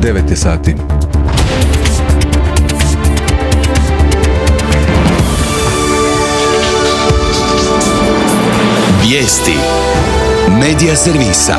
9 je sati. Vijesti Medija servisa.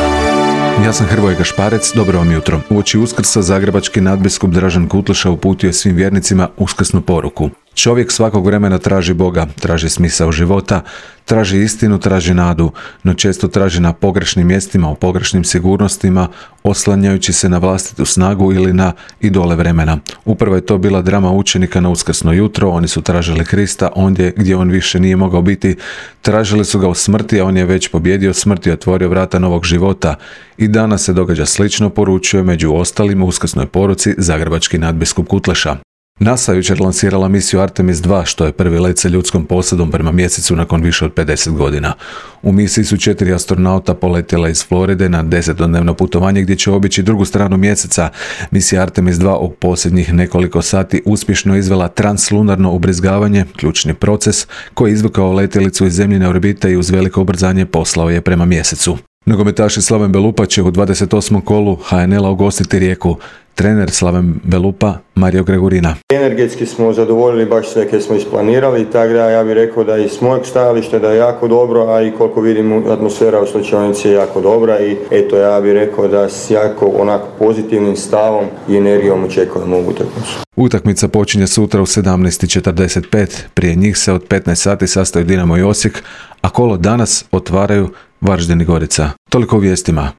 Ja sam Hrvoje Gašparec, dobro vam jutro. Uoči Uskrsa zagrebački nadbiskup Dražen Kutleša uputio je svim vjernicima uskrsnu poruku. Čovjek svakog vremena traži Boga, traži smisao života, traži istinu, traži nadu, no često traži na pogrešnim mjestima, u pogrešnim sigurnostima, oslanjajući se na vlastitu snagu ili na idole vremena. Upravo je to bila drama učenika na uskrsno jutro. Oni su tražili Krista ondje gdje on više nije mogao biti. Tražili su ga u smrti, a on je već pobjedio smrt i otvorio vrata novog života. I danas se događa slično, poručuje među ostalim u uskrsnoj poruci zagrebački nadbiskup Kutleša. NASA jučer lansirala misiju Artemis 2, što je prvi let sa ljudskom posadom prema mjesecu nakon više od 50 godina. U misiji su 4 astronauta poletjela iz Floride na 10-dnevno putovanje gdje će obići drugu stranu mjeseca. Misija Artemis 2 u posljednjih nekoliko sati uspješno izvela translunarno ubrizgavanje, ključni proces koji je izvukao letjelicu iz zemljine orbite i uz veliko ubrzanje poslao je prema mjesecu. Nogometaši Slaven Belupa će u 28. kolu HNL-a ugostiti Rijeku. Trener Slaven Belupa, Mario Gregorina. Energetski smo zadovoljili baš sve koje smo isplanirali, tako da ja bih rekao da i s mojeg stajališta da je jako dobro, a i koliko vidim atmosfera u slačionici je jako dobra i eto ja bih rekao da s jako onako pozitivnim stavom i energijom očekujemo ovu utakmicu. Utakmica počinje sutra u 17:45, prije njih se od 15 sati sastaju Dinamo i Osijek, a kolo danas otvaraju Varaždin i Gorica. Toliko o vijestima.